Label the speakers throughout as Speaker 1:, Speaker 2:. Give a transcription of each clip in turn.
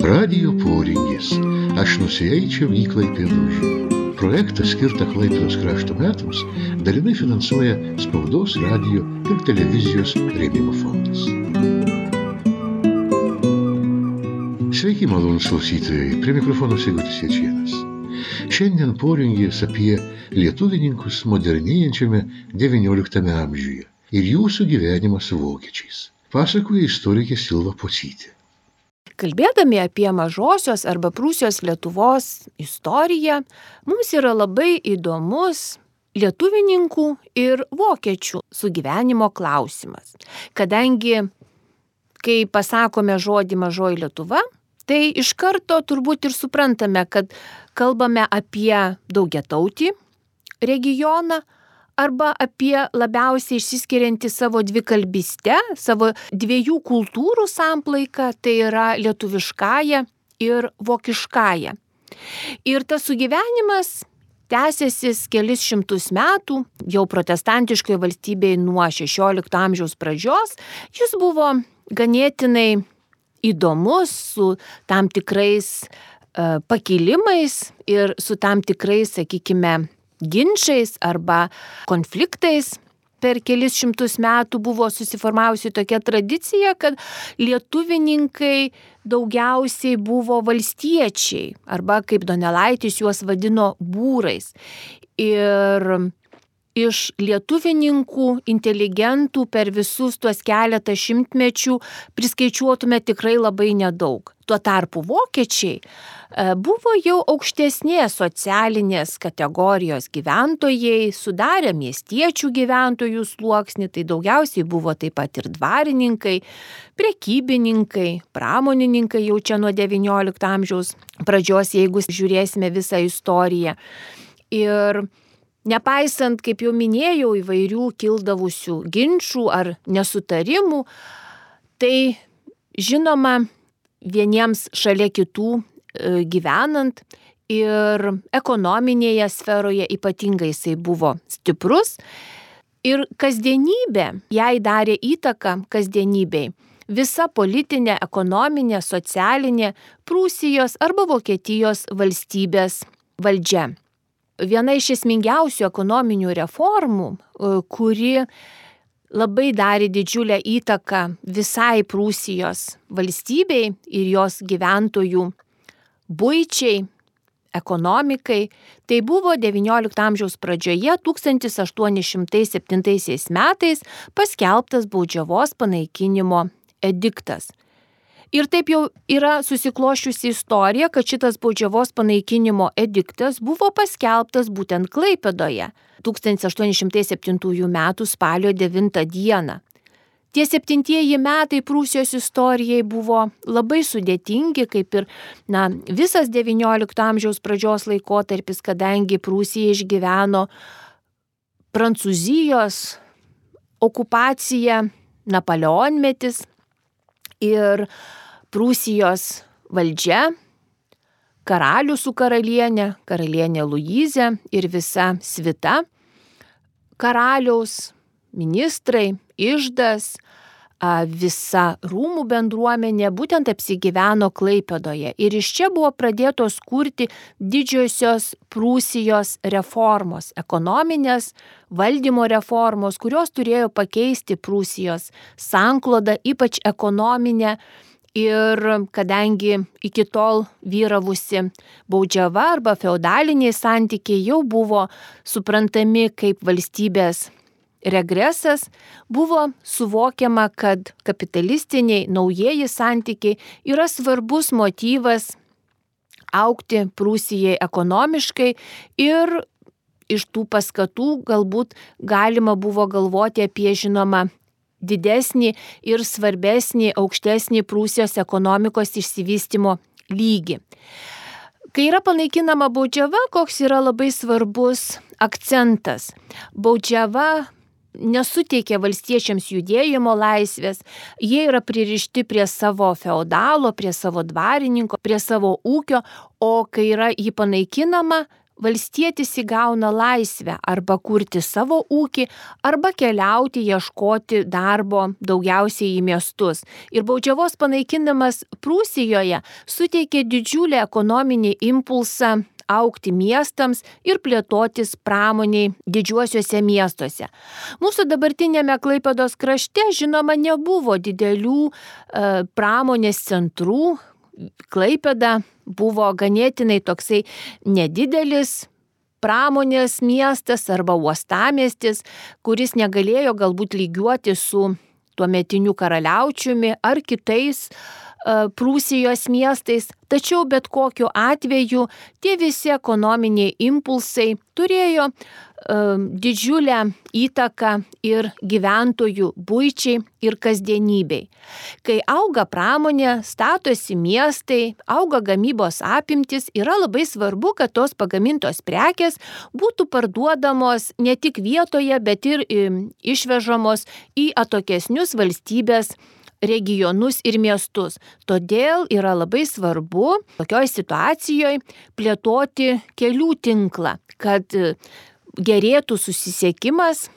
Speaker 1: Radijo poringis. Aš nusieičiau į Klaipėdą. Projektą skirtą Klaipėdos krašto metams dalinai finansuoja Spaudos, radijo ir televizijos rėmimo fondas. Sveiki, malonūs klausytojai, prie mikrofono Sigutis Jačėnas. Šiandien poringis apie lietuvininkus modernėjančiame XIX amžiuje ir jūsų gyvenimą su vokiečiais. Pasakoja istorikė Silva Pocytė.
Speaker 2: Kalbėdami apie Mažosios arba Prūsijos Lietuvos istoriją, mums yra labai įdomus lietuvininkų ir vokiečių sugyvenimo klausimas. Kadangi, kai pasakome žodį Mažoji Lietuva, tai iš karto turbūt ir suprantame, kad kalbame apie daugiatautį regioną arba apie labiausiai išsiskiriantį savo dvikalbystę, savo dviejų kultūrų samplaiką, tai yra lietuviškąją ir vokiškąją. Ir tas sugyvenimas tęsiasi kelis šimtus metų, jau protestantiškoje valstybėje nuo XVI amžiaus pradžios. Jis buvo ganėtinai įdomus, su tam tikrais pakilimais ir su tam tikrais, sakykime, ginčais arba konfliktais. Per kelis šimtus metų buvo susiformavusi tokia tradicija, kad lietuvininkai daugiausiai buvo valstiečiai, arba kaip Donelaitis juos vadino būrais. Ir iš lietuvininkų, inteligentų per visus tuos keletą šimtmečių priskaičiuotume tikrai labai nedaug. Tuo tarpu vokiečiai buvo jau aukštesnės socialinės kategorijos gyventojai, sudarė miestiečių gyventojų sluoksnį, tai daugiausiai buvo taip pat ir dvarininkai, prekybininkai, pramonininkai jau čia nuo XIX amžiaus pradžios, jeigu žiūrėsime visą istoriją. Ir nepaisant, kaip jau minėjau, įvairių kildavusių ginčų ar nesutarimų, tai žinoma, vieniems šalia kitų gyvenant ir ekonominėje sferoje ypatingai jisai buvo stiprus ir kasdienybė jai darė įtaką kasdienybei. Visa politinė, ekonominė, socialinė Prūsijos arba Vokietijos valstybės valdžia. Viena iš esmingiausių ekonominių reformų, kuri labai darė didžiulę įtaką visai Prūsijos valstybei ir jos gyventojų buičiai, ekonomikai, tai buvo XIX amžiaus pradžioje 1807 metais paskelbtas baudžiavos panaikinimo ediktas. Ir taip jau yra susikloščiusi istorija, kad šitas baudžiavos panaikinimo ediktas buvo paskelbtas būtent Klaipėdoje 1807 metų spalio 9 dieną. Tie 7 metai Prūsijos istorijai buvo labai sudėtingi, kaip ir visas XIX amžiaus pradžios laikotarpis, kadangi Prūsija išgyveno Prancūzijos okupaciją, Napoleonmetis ir Prūsijos valdžia, karalius su karalienė Luizė ir visa svita, karaliaus ministrai, iždas, visa rūmų bendruomenė būtent apsigyveno Klaipėdoje. Ir iš čia buvo pradėtos kurti didžiosios Prūsijos reformos, ekonominės valdymo reformos, kurios turėjo pakeisti Prūsijos sanklodą, ypač ekonominę. Ir kadangi iki tol vyravusi baudžiava arba feodaliniai santykiai jau buvo suprantami kaip valstybės regresas, buvo suvokiama, kad kapitalistiniai naujieji santykiai yra svarbus motyvas augti Prūsijai ekonomiškai ir iš tų paskatų galbūt galima buvo galvoti apie, žinoma, didesnį ir svarbesnį, aukštesnį Prūsijos ekonomikos išsivystymo lygį. Kai yra panaikinama baudžiava, koks yra labai svarbus akcentas. Baudžiava nesuteikia valstiečiams judėjimo laisvės, jie yra pririšti prie savo feodalo, prie savo dvarininko, prie savo ūkio, o kai yra jį panaikinama, valstietis įgauna laisvę arba kurti savo ūkį, arba keliauti ieškoti darbo daugiausiai į miestus. Ir baudžiavos panaikinimas Prūsijoje suteikė didžiulį ekonominį impulsą augti miestams ir plėtotis pramoniai didžiuosiuose miestuose. Mūsų dabartinėme Klaipėdos krašte, žinoma, nebuvo didelių pramonės centrų. Klaipėda buvo ganėtinai toksai nedidelis pramonės miestas arba uostamiestis, kuris negalėjo galbūt lygiuoti su tuometiniu karaliaučiumi ar kitais Prūsijos miestais, tačiau bet kokiu atveju tie visi ekonominiai impulsai turėjo didžiulę įtaką ir gyventojų buičiai ir kasdienybei. Kai auga pramonė, statosi miestai, auga gamybos apimtis, yra labai svarbu, kad tos pagamintos prekės būtų parduodamos ne tik vietoje, bet ir išvežamos į atokesnius valstybės regionus ir miestus. Todėl yra labai svarbu tokioj situacijoje plėtoti kelių tinklą, kad gerėtų susisiekimas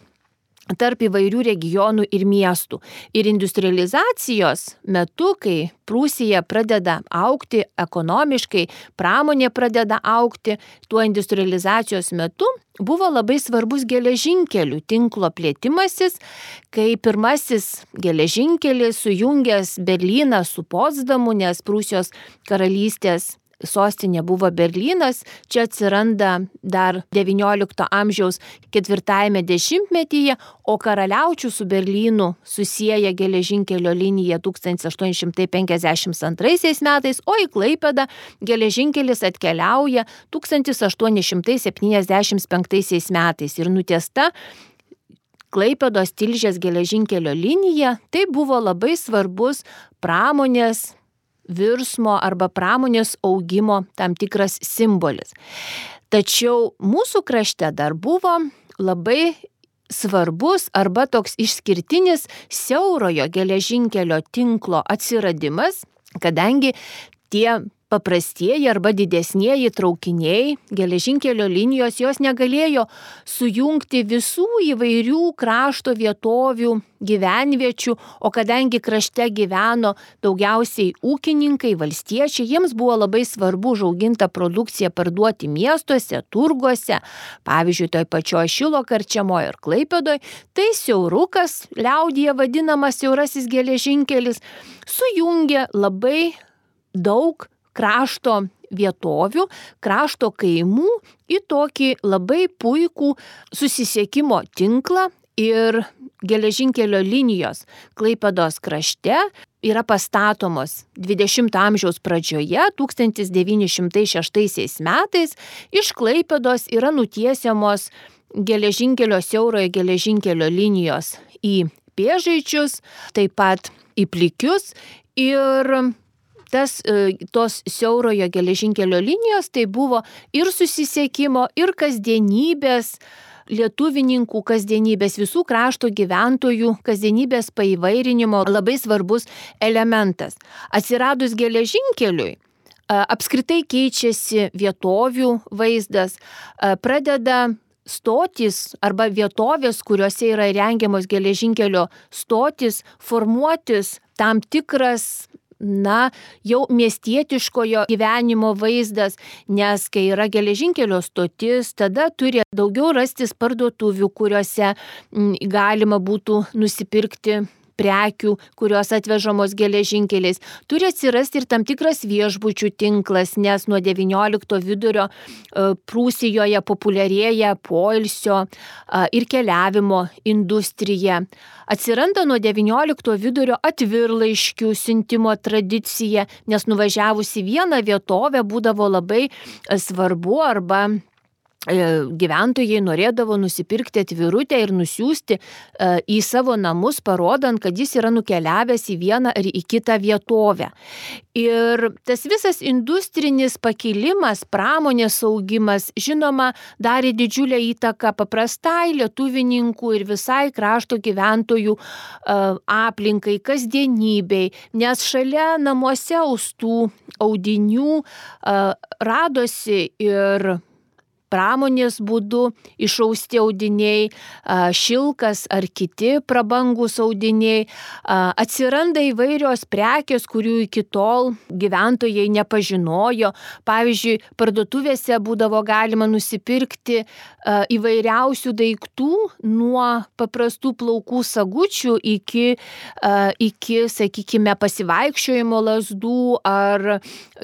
Speaker 2: tarp įvairių regionų ir miestų. Ir industrializacijos metu, kai Prūsija pradeda augti ekonomiškai, pramonė pradeda augti, tuo industrializacijos metu buvo labai svarbus geležinkelių tinklo plėtimasis, kai pirmasis geležinkelis sujungęs Berlyną su Potsdamu, nes Prūsijos karalystės sostinė buvo Berlynas, čia atsiranda dar XIX amžiaus 4 dešimtmetyje, o karaliaučių su Berlynu susieja geležinkelio linija 1852 metais, o į Klaipėdą geležinkelis atkeliauja 1875 metais ir nutiesta Klaipėdos Tilžės geležinkelio linija. Tai buvo labai svarbus pramonės virsmo arba pramonės augimo tam tikras simbolis. Tačiau mūsų krašte dar buvo labai svarbus arba toks išskirtinis siaurojo geležinkelio tinklo atsiradimas, kadangi tie paprastieji arba didesnieji traukiniai, geležinkelio linijos, jos negalėjo sujungti visų įvairių krašto vietovių, gyvenviečių, o kadangi krašte gyveno daugiausiai ūkininkai, valstiečiai, jiems buvo labai svarbu užaugintą produkciją parduoti miestuose, turguose, pavyzdžiui, toj pačioj Šilo karčiamoje ir Klaipėdoje, tai siaurukas, liaudyje vadinamas siaurasis geležinkelis, sujungė labai daug krašto vietovių, krašto kaimų į tokį labai puikų susisiekimo tinklą ir geležinkelio linijos Klaipėdos krašte yra pastatomos 20 amžiaus pradžioje, 1906 metais, iš Klaipėdos yra nutiesiamos siaurojo geležinkelio linijos į Pėžaičius, taip pat į Plikius ir tos siaurojo geležinkelio linijos tai buvo ir susisiekimo, ir kasdienybės, lietuvininkų kasdienybės, visų krašto gyventojų kasdienybės paįvairinimo labai svarbus elementas. Atsiradus geležinkeliui, apskritai keičiasi vietovių vaizdas, pradeda stotis arba vietovės, kuriuose yra rengiamos geležinkelio stotis, formuotis tam tikras jau miestietiškojo gyvenimo vaizdas, nes kai yra geležinkelio stotis, tada turi daugiau rastis parduotuvių, kuriuose galima būtų nusipirkti prekių, kurios atvežamos geležinkeliais. Turi atsirasti ir tam tikras viešbučių tinklas, nes nuo XIX vidurio Prūsijoje populiarėja poilsio ir keliavimo industrija. Atsiranda nuo XIX vidurio atvirlaiškių siuntimo tradicija, nes nuvažiavus į vieną vietovę būdavo labai svarbu arba gyventojai norėdavo nusipirkti atvirutę ir nusiųsti į savo namus, parodant, kad jis yra nukeliavęs į vieną ar į kitą vietovę. Ir tas visas industrinis pakilimas, pramonės augimas, žinoma, darė didžiulę įtaką paprastai lietuvininkų ir visai krašto gyventojų aplinkai, kasdienybei, nes šalia namuose austų audinių radosi ir pramonės būdu išausti audiniai, šilkas ar kiti prabangus audiniai. Atsiranda įvairios prekės, kurių iki tol gyventojai nepažinojo. Pavyzdžiui, parduotuvėse būdavo galima nusipirkti įvairiausių daiktų, nuo paprastų plaukų sagučių iki, sakykime, pasivaikščiojimo lazdų ar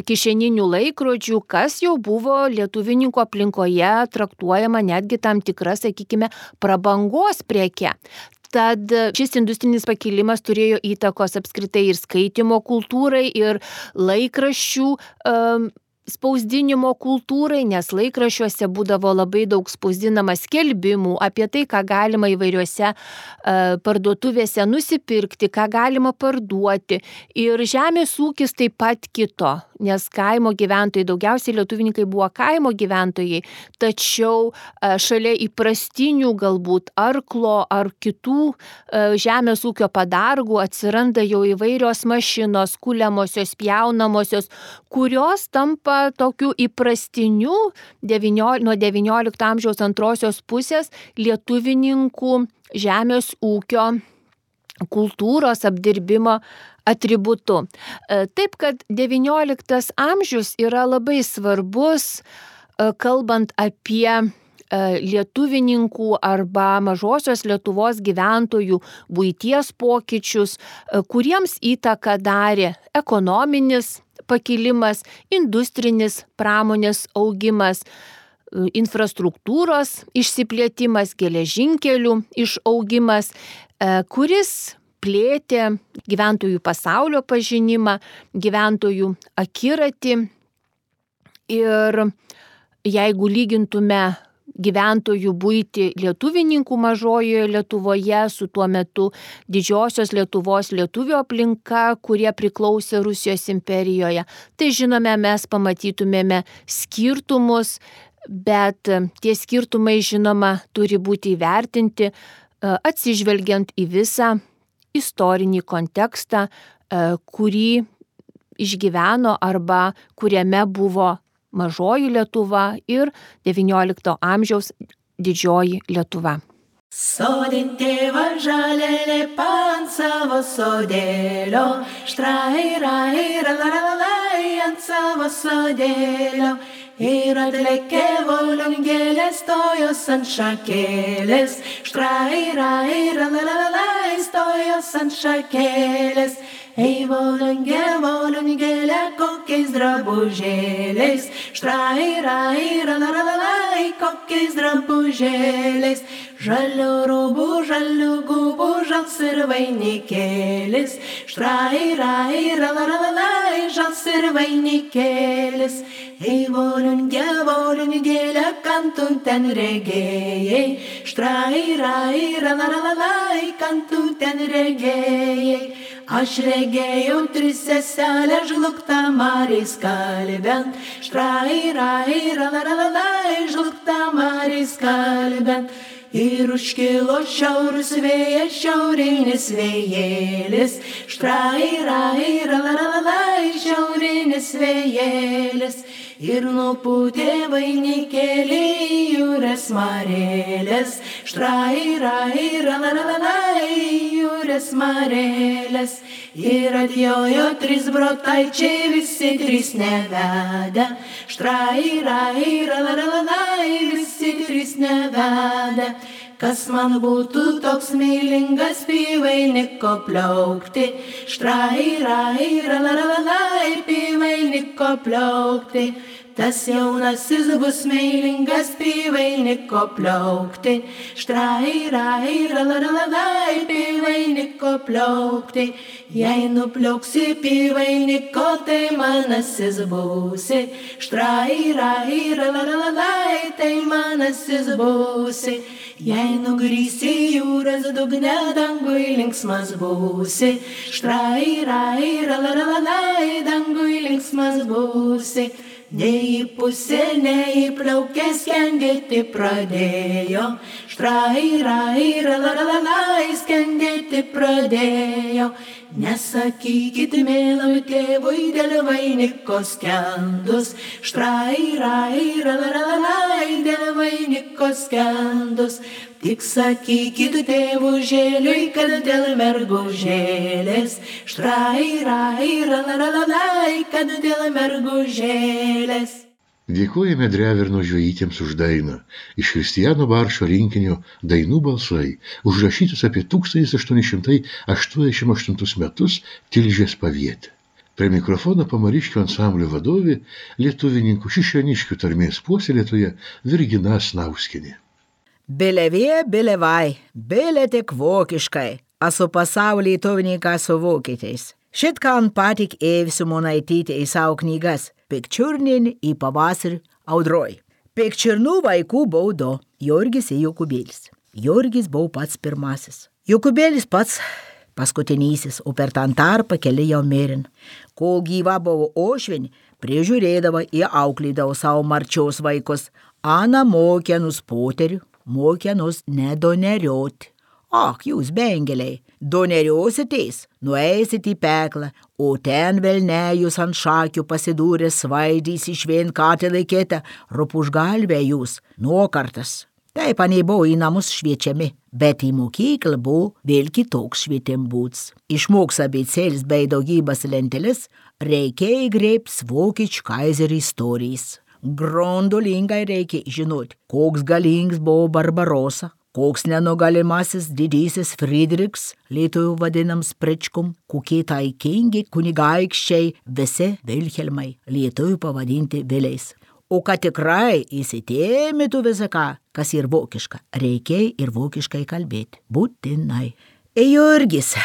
Speaker 2: kišeninių laikrodžių, kas jau buvo lietuvininkų aplinkoje traktuojama netgi tam tikra, sakykime, prabangos preke. Tad šis industrinis pakilimas turėjo įtakos apskritai ir skaitimo kultūrai, ir laikraščių spausdinimo kultūrai, nes laikraščiuose būdavo labai daug spausdinama skelbimų apie tai, ką galima įvairiuose parduotuvėse nusipirkti, ką galima parduoti. Ir žemės ūkis taip pat kito, nes kaimo gyventojai, daugiausiai lietuvininkai buvo kaimo gyventojai, tačiau šalia įprastinių galbūt arklo ar kitų žemės ūkio padargų atsiranda jau įvairios mašinos, kuliamosios, pjaunamosios, kurios tampa tokiu įprastiniu nuo XIX amžiaus antrosios pusės lietuvininkų žemės ūkio kultūros apdirbimo atributu. Taip, kad XIX amžius yra labai svarbus, kalbant apie lietuvininkų arba mažosios Lietuvos gyventojų buities pokyčius, kuriems įtaką darė ekonominis pakilimas, industrinis pramonės augimas, infrastruktūros išsiplėtimas, geležinkelių išaugimas, kuris plėtė gyventojų pasaulio pažinimą, gyventojų akiratį. Ir jeigu lygintume gyventojų buitį lietuvininkų mažojoje Lietuvoje su tuo metu didžiosios Lietuvos lietuvių aplinka, kurie priklausė Rusijos imperijoje, tai žinome, mes pamatytumėme skirtumus, bet tie skirtumai, žinoma, turi būti įvertinti atsižvelgiant į visą istorinį kontekstą, kurį išgyveno arba kuriame buvo mažoji Lietuva ir XIX amžiaus didžioji Lietuva.
Speaker 3: Sode tėva žalelė ant savo sodėlio, štrairairalalai ant savo sodėlio. Ir atlėkė volungėlės, stojos ant šakėlės, štrairairalalai stojos ant šakėlės. Ei volungėlė, kokiais drabužėliais, štrairairalalai, kokiais drabužėliais. Žalių rūbų, žalių gubų, žals ir vainikėlis, štrairairalalai, žals ir vainikėlis. Ei volungėlė, kam tu ten regėjai, štrairairalalai, kam tu ten regėjai. Aš regėjau tris seselę žlugtą Marijos kalbent, štrairairalalai, žlugtą Marijos kalbent. Ir užkilo šiaurus vėjas, šiaurinis vėjėlis, štrairairalalai, šiaurinis vėjėlis. Ir nupūtė vainikėlį jūrės marėlės, štrairairalalai, jūrės marėlės. Ir atjojo trys brotaičiai, visi trys nevedę, štrairairalalai, visi trys nevedę. Kas man būtų toks meilingas pivainiko pliaukti, štrairairalalai, pivainiko pliaukti. Tas jaunasis bus meilingas pivainiko pliaukti, štrairairalalai, pivainiko pliaukti. Jei nupliauksi pivainiko, tai manasis būsi, štrairairalalai, tai manasis būsi. Jei nugrįsi jūros dugne, dangui linksmas būsi, štrairairalalai, dangui linksmas būsi. Nei į pusę, nei į plaukę skendėti pradėjo, štrairairalalai, skendėti pradėjo. Nesakykit mėlau tėvui dėl vainiko skendus, štrai, rai, ralalalai, dėl vainiko skendus. Tik sakykit tėvų žėliui, kad dėl mergužėlės, štrai, rai, ralalalai, kad dėl mergužėlės.
Speaker 1: Dėkojame Dreverno žvejytėms už dainą iš Kristijano Baršo rinkinio Dainų balsai, užrašytus apie 1888 metus Tilžės pavietę. Prie mikrofono Pamariškių ansamblio vadovė, lietuvininkų Šišioniškių tarmės puoselėtoja Virgina Snauskienė.
Speaker 4: Bilevie, bilevai, bile tik vokiškai, esu pasaulį lietuvininką su vokiečiais. Šitkan patik Ėvsiu Monaitytė į savo knygas Pikčiurnin į pavasarį audroj. Pikčiurnų vaikų buvo du, Jurgis ir Jokubėlis. Jurgis buvo pats pirmasis. Jokubėlis pats paskutinysis, o per tą tarpą keli jau mirin. Kol gyva buvo ošvinį, prižiūrėdavo ir auklydavo savo marčios vaikus. Ana mokė nus poterių, mokė nus nedonerioti. Ak, jūs bengeliai, doneriositės, nueisit į peklą, o ten velnėjus ant šakių pasidūrė svaidys išvien katę laikėte, rupužgalvė jūs, nuokartas. Taip, anei buvo į namus šviečiami, bet į mokyklą buvo vėl kitoks švietim būts. Išmoks abėcėlis bei daugybas lentelis, reikėjo grėps vokiečių kaiserį istorijas. Grondolingai reikia žinoti, koks galingas buvo Barbarosa, koks nenugalimasis didysis Friedrichs, lietuvių vadinams Pričkum, kokie taikingi kunigaikščiai visi Vilhelmai, lietuvių pavadinti Viliais. O kad tikrai įsitėmėtų visą ką, kas ir vokiška, reikia ir vokiškai kalbėti, būtinai. Jurgis,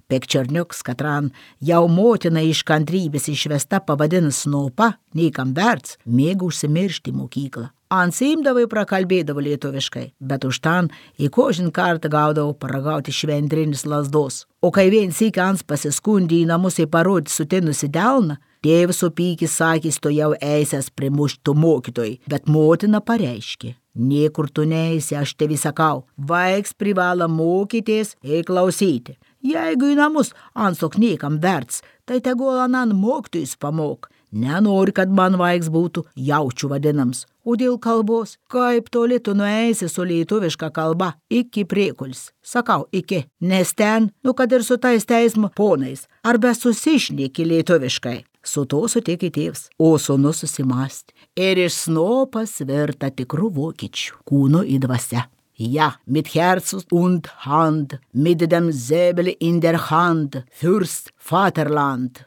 Speaker 4: Pekčerniuks, katran jau motina iš kantrybės išvesta pavadinas snopa, niekam verts, mėgų užsimiršti mokyklą. Ansimdavai prakalbėdavo lietuviškai, bet už tan į kožin kartą gaudavo paragauti švendrinis lasdos. O kai vien sykį ans pasiskundė į namus į parodį sutinusi delną, tėvas supykis sakys to jau eisęs primuštų mokytojai, bet motina pareiškė. Niekur tu neisi, aš tevi sakau, vaiks privalo mokytis ir klausyti. Jeigu į namus ansok niekam verts, tai tegul anan mokytojus pamok. Nenori, kad man vaiks būtų jaučių vadinams. O dėl kalbos, kaip toli tu nueisi su lietuviška kalba, iki priekulis. Sakau, iki, nes ten, kad ir su tais teismo ponais, arba susišneki lietuviškai. Su to sutikė tėvs, o sūnus susimąstė. Ir iš snopas virta tikrų vokiečių, kūno į dvasia. Ja, mit Herzens und Hand, mit dem Säbel in der Hand, Fürst Vaterland.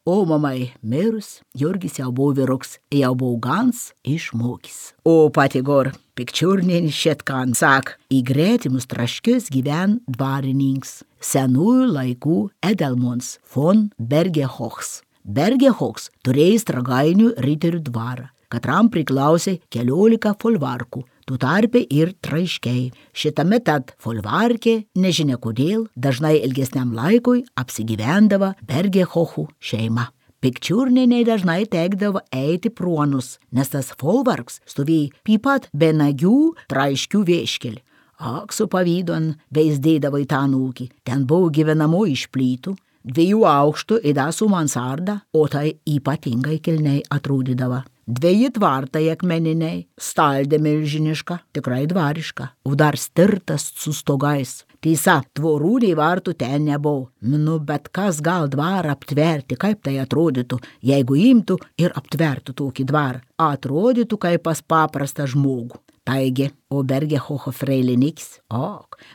Speaker 4: O mamai mirus, Jurgis jau buvo vyruks, jau buvo gans išmokys. O pati gor, Pikčiurnin šitkan sak, į gretimus traškius gyven dvarininks, senųjų laikų Edelmons von Bergehochs. Bergehochs turėjo Stragainių riterių dvarą, katram priklausė 14 folvarkų, tu tarpe ir traiškiai. Šitame tad folvarkė, nežinia kodėl, dažnai ilgesniam laikui apsigyvendavo Bergehochų šeima. Pikčiurniniai dažnai tekdavo eiti pruonus, nes tas folvarks stovėjo pipat be nagių traiškių vieškelį. Ak, su pavydon veizdėdavo į tą ūkį, ten buvo gyvenamo iš plytų, 2 aukštų ir su mansarda, o tai ypatingai kilniai atrodydavo. 2 tvartai akmeniniai, staldė milžiniška, tikrai dvariška, o dar stirtas su stogais. Tiesa, tvorų nei vartų ten nebuvo. Bet kas gal dvarą aptverti, kaip tai atrodytų, jeigu imtų ir aptvertų tokį dvarą? Atrodytų kaip pas paprastą žmogų. Taigi, o Bergehocho freiliniks,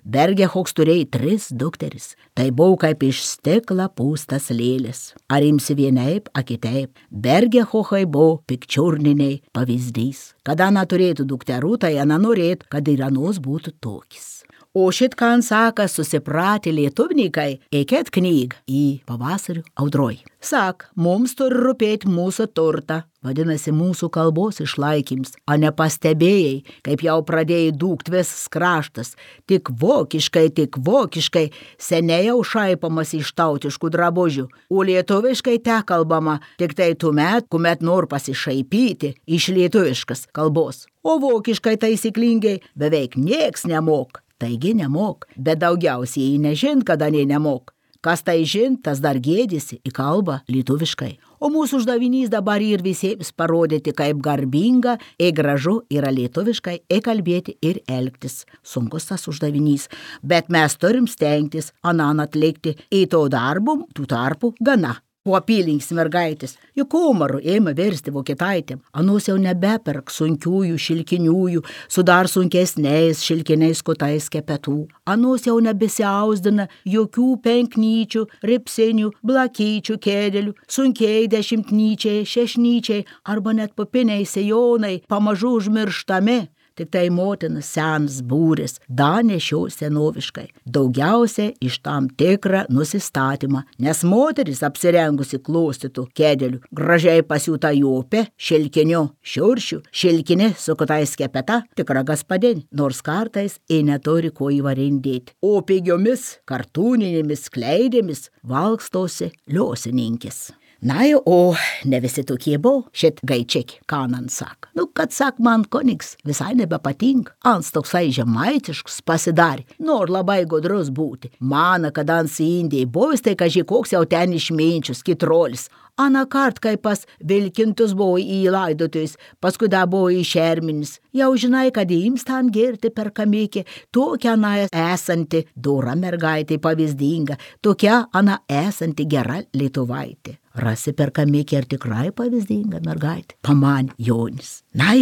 Speaker 4: Bergehochs turėjo 3 dukteris. Tai buvo kaip iš stikla pūstas lėlis. Ar imsi vienaip, a kitaip, Bergehochai buvo Pikčiurniniai pavyzdys. Kada ana turėtų dukterų, tai ana norėtų, kad ir anos būtų tokis. O šitkan saka susipratė lietuvininkai, eikėt knygą į pavasarių audroj. Sak, mums turi rūpėti mūsų turtą, vadinasi mūsų kalbos išlaikyms, o nepastebėjai, kaip jau pradėjai dūkt visas kraštas, tik vokiškai, seniai jau šaipamas iš tautiškų drabužių, o lietuviškai te kalbama tik tai tuomet, kuomet nor pasišaipyti iš lietuviškas kalbos, o vokiškai taisyklingai beveik nieks nemok. Taigi nemok, bet daugiausiai nežin, kada nei nemok. Kas tai žin, tas dar gėdėsi į kalbą lietuviškai. O mūsų uždavinys dabar ir visiems parodyti, kaip garbinga ir gražu yra lietuviškai kalbėti ir elgtis. Sunkus tas uždavinys, bet mes turim stengtis anan atlikti į to darbų, tų tarpų gana. Po apylinks mergaitės, juk Omaru ėmė versti vokietaitėm. Anos jau nebeperk sunkiųjų šilkiniųjų, su dar sunkesniais šilkiniais kotais kepetų. Anos jau nebesiausdina jokių penknyčių, ripsinių, blakyčių kėdelių, sunkiai dešimtnyčiai, šešnyčiai arba net popiniai sejonai pamažu užmirštami. Tik tai motinas senas būris, danešio senoviškai, daugiausia iš tam tikrą nusistatymą, nes moteris apsirengusi klostytų kėdelių, gražiai pasiūta jopė, šilkiniu, šiuršiu, šilkinė su kotais kepeta, tikra gaspadin, nors kartais neturi ko įvarindėti. O pigiomis, kartūninėmis kleidėmis valkstosi liosininkis. Na, o ne visi tokie buvo, šit gaičiaki, kanan sak. Kad sak man koniks visai nebepatinka, ans toksai žemaitiškus pasidarė, nor labai godrus būti. Mana, kad ans į Indiją buvęs, tai kaži koks jau ten išminčius, kitrolis. Anakart, kai pas vilkintus buvo į laidotojus, paskui da buvo į šerminis. Jau žinai, kad jiems ten girti per kamikį, tokia ana esanti dora mergaitė pavyzdinga, tokia ana esanti gera lietuvaitė. Rasi per kamikį ir tikrai pavyzdinga mergaitė, paman Jonis. Na,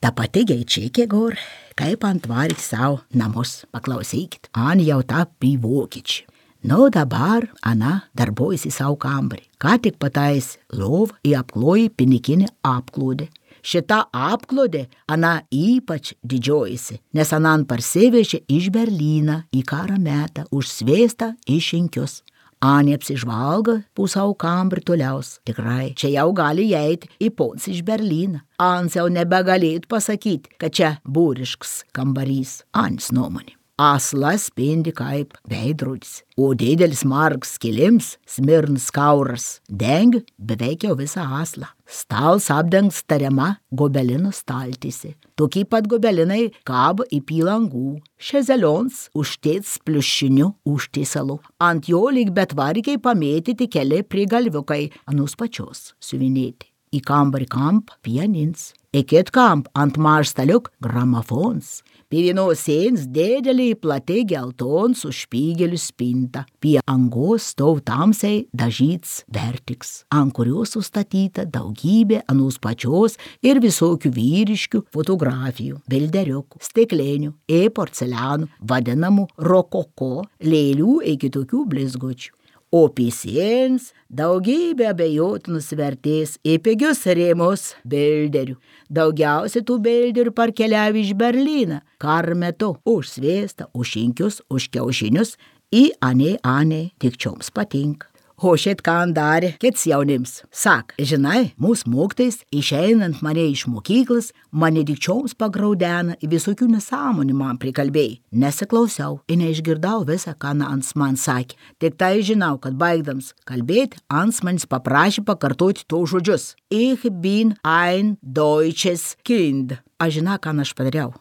Speaker 4: ta pati gaičiakė gor, kaip ant varyk savo namus, paklausykit, an jau tapi vokiečiai. Nu, dabar ana darbuojasi savo kambarį. Ką tik pataisi lovą į apklojį pinikinį apklodį. Šita apklodė ana ypač didžiojasi, nes anan parsivežė iš Berlyną į karą metą užsvėstą iš Šinkius. Anė apsižvalga po savo kambarį toliaus. Tikrai, čia jau gali įeiti į pons iš Berlyną. Ans jau nebegalėtų pasakyti, kad čia būrišks kambarys. Anis nuomonė. Aslas spindi kaip veidrodis, o didelis margas kilims, smirns kauras, dengia beveik jau visą aslą. Stals apdengs tariama gobelino staltysi. Tokie pat gobelinai kabo į pilangų. Šezelions užtėts pliušiniu užtėsalu. Ant jo lyg betvarikiai pamėtyti keli prigalviukai, anus pačios siuvinėti. Į kambarį kamp pianins, į kit kamp ant marstaliuk gramofons. Pie vienos sienos didelį plati gelton su špygeliu spinta. Pie angos stov tamsiai dažyts vertiks, ant kurios sustatyta daugybė anus pačios ir visokių vyriškių fotografijų, bilderiukų, stiklinių, porcelianų, vadinamų rokoko, lėlių iki tokių blizgučių. O pisiems daugybė abejotinus vertės į pigius rėmus bilderių. Daugiausia tų bilderių parkeliavo iš Berlyną, karo metu už sviestą, už Šinkius, už kiaušinius, į anė tik čioms patinka. O šit ką darė kits jaunims. Sak, žinai, mūsų mokytojais išeinant mane iš mokyklas, mane dikčioms pagraudena į visokių nesąmonių man prikalbėjai. Nesiklausiau ir neišgirdau visą, ką Ans man sakė. Tik tai žinau, kad baigdams kalbėti, Ans manis paprašė pakartoti to žodžius. Ich bin ein deutsches Kind. Aš žinau, ką aš padariau.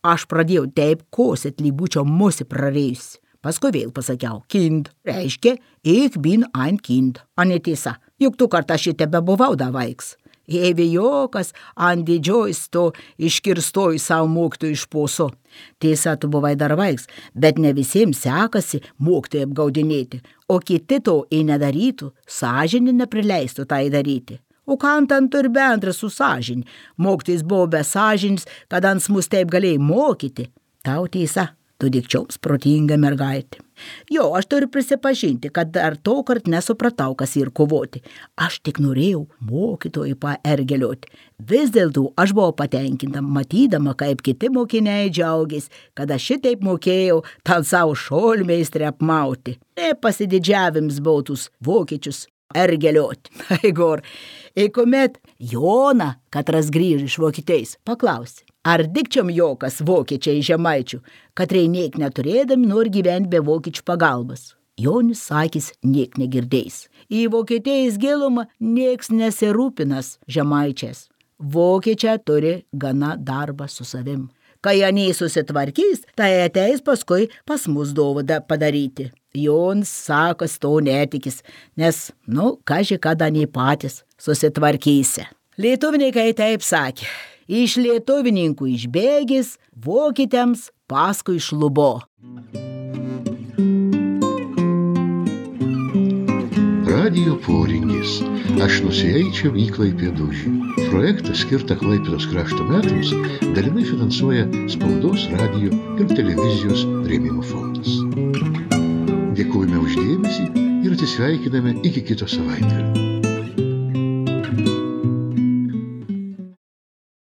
Speaker 4: Aš pradėjau taip kosit, lyg būčiau musi prarėjusi. Paskui vėl pasakiau, kind, reiškia, ich bin ein kind. A netiesa, juk tu kartą šitą bebuvau da vaiks. Evijokas ant didžiojus to iškirstoju savo mokytojų iš poso. Tiesa, tu buvai dar vaiks, bet ne visiems sekasi mokytojai apgaudinėti, o kiti to nedarytų, sąžinė neprileistų tai daryti. O ką ant turi bendra su sąžinė? Mokytojas buvo be sąžinės, kad ant mus taip galėjai mokyti. Tau tiesa. Tu dikčioms protinga mergaitė. Jo, aš turiu prisipažinti, kad dar to kart nesupratau, kas ir kovoti. Aš tik norėjau mokytojai paergelioti. Vis dėlto aš buvau patenkinta, matydama, kaip kiti mokiniai džiaugės, kad aš šitaip mokėjau tal savo šolmeistrį apmauti. Pasididžiavims bautus vokiečius ergelioti. Igor, kuomet Jona, katras grįž iš Vokietijos, paklausė. Ar dikčiom jokas vokiečiai žemaičių, kad reiniek neturėdami nori gyventi be vokiečių pagalbos? Jonis sakys, niek negirdėjęs. Į Vokietijos gilumą nieks nesirūpinas žemaičiais. Vokiečiai turi gana darbą su savim. Kai jie susitvarkys, tai ateis paskui pas mus dovaną padaryti. Jonas sakas to netikis, nes, kaži kada nei patys susitvarkysi. Lietuvininkai taip sakė, iš lietuvininkų išbėgis, vokiečiams paskui šlubo.
Speaker 1: Radijo poringis. Aš nusieičiau į Klaipėdūžį. Projektą skirtą Klaipėdos krašto metams dalinai finansuoja Spaudos, radijo ir televizijos rėmimo fondas. Dėkojame už dėmesį ir atsisveikiname iki kito savaitgalio.